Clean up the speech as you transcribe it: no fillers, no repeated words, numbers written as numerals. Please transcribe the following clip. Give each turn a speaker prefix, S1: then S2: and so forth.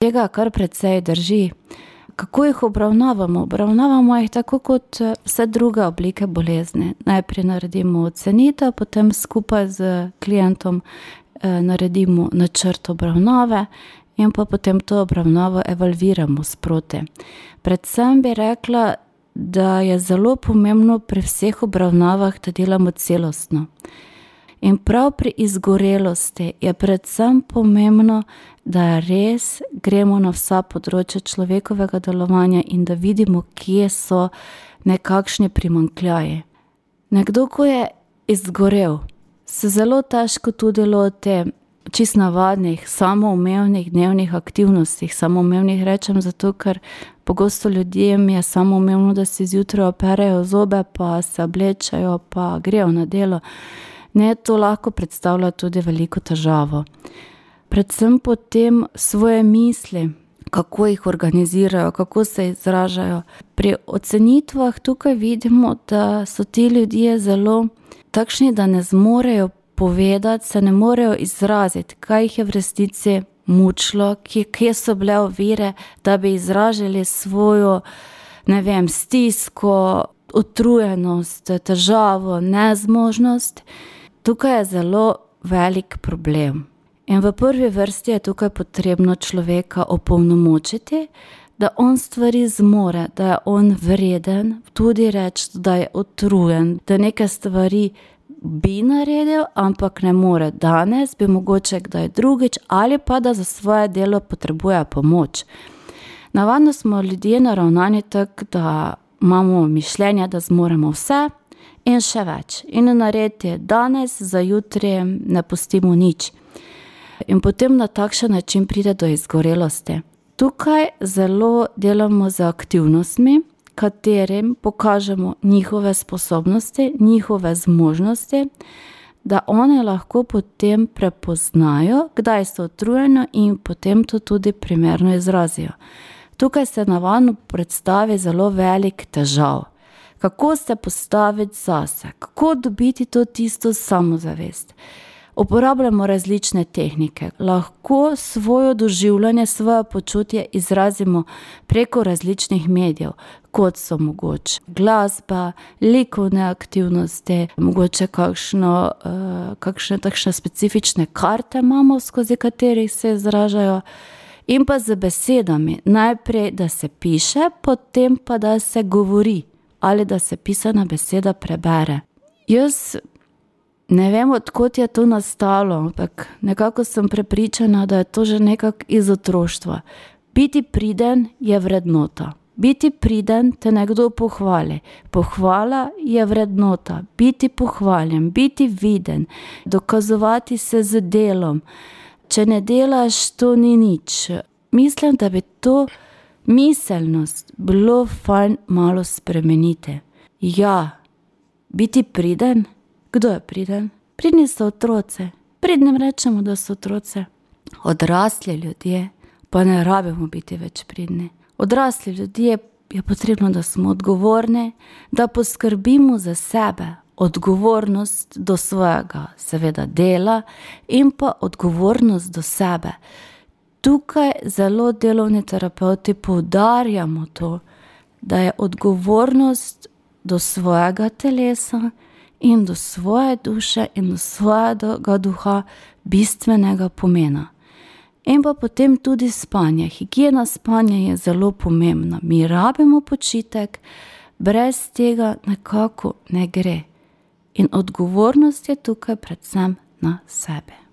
S1: Tega kar precej drži. Kako jih obravnavamo? Obravnavamo jih tako kot vse druge oblike bolezni. Najprej naredimo ocenitev, potem skupaj z klientom naredimo načrt obravnave in pa potem to obravnavo evalviramo sproti. Predvsem bi rekla, da je zelo pomembno pri vseh obravnavah, da delamo celostno. In prav pri izgorelosti je predvsem pomembno, da res gremo na vsa področja človekovega delovanja in da vidimo, kje so nekakšni primanjkljaji. Nekdo, ko je izgorel, se zelo težko tudi loti čisto navadnih, samoumevnih dnevnih aktivnostih. Samoumevnih rečem zato, ker pogosto ljudem je samoumevno, da si zjutraj operejo zobe, pa se oblečejo, pa grejo na delo. Ne, to lahko predstavlja tudi veliko težavo. Predvsem potem svoje misli, kako jih organizirajo, kako se izražajo. Pri ocenitvah tukaj vidimo, da so ti ljudje zelo takšni, da ne zmorejo povedati, se ne morejo izraziti, kaj jih je v resnici mučilo, kje so bile ovire, da bi izražali svojo, stisko, utrujenost, težavo, nezmožnost. Tukaj je zelo velik problem. In v prvi vrsti je tukaj potrebno človeka opolnomočiti, da on stvari zmore, da je on vreden, tudi reči, da je utrujen, da neke stvari bi naredil, ampak ne more danes, bi mogoče kdaj drugič, ali pa da za svoje delo potrebuje pomoč. Navadno smo ljudje naravnani tako, da imamo mišljenje, da zmoremo vse in še več. In narediti danes, za jutri ne pustimo nič. In potem na takšen način pride do izgorelosti. Tukaj zelo delamo z aktivnostmi, katerim pokažemo njihove sposobnosti, njihove zmožnosti, da one lahko potem prepoznajo, kdaj so utrujeni in potem to tudi primerno izrazijo. Tukaj se navadno predstavi zelo velik težav. Kako se postaviti zase, kako dobiti to tisto samozavest. Uporabljamo različne tehnike. Lahko svoje doživljanje, svoje počutje izrazimo preko različnih medijev, kot so mogoče glasba, likovne aktivnosti, mogoče kakšne takšne specifične karte imamo, skozi katerih se izražajo, in pa z besedami. Najprej, da se piše, potem pa, da se govori ali da se pisana beseda prebere. Jaz ne vem, od kod je to nastalo, ampak nekako sem prepričana, da je to že nekako iz otroštva. Biti priden je vrednota. Biti priden te nekdo pohvali. Pohvala je vrednota. Biti pohvaljen, biti viden, dokazovati se z delom. Če ne delaš, to ni nič. Mislim, da bi to miselnost bilo fajn malo spremeniti. Ja, biti priden. Kdo je priden? Pridni so otroci. Pridnim rečemo, da so otroci. Odrasli ljudje pa ne rabimo biti več pridni. Odrasli ljudje je potrebno, da smo odgovorni, da poskrbimo za sebe. Odgovornost do svojega, seveda, dela in pa odgovornost do sebe. Tukaj zelo delovni terapevti poudarjamo to, da je odgovornost do svojega telesa in do svoje duše in do svojega duha bistvenega pomena. In pa potem tudi spanje. Higiena spanja je zelo pomembna. Mi rabimo počitek, brez tega nekako ne gre. In odgovornost je tukaj predvsem na sebe.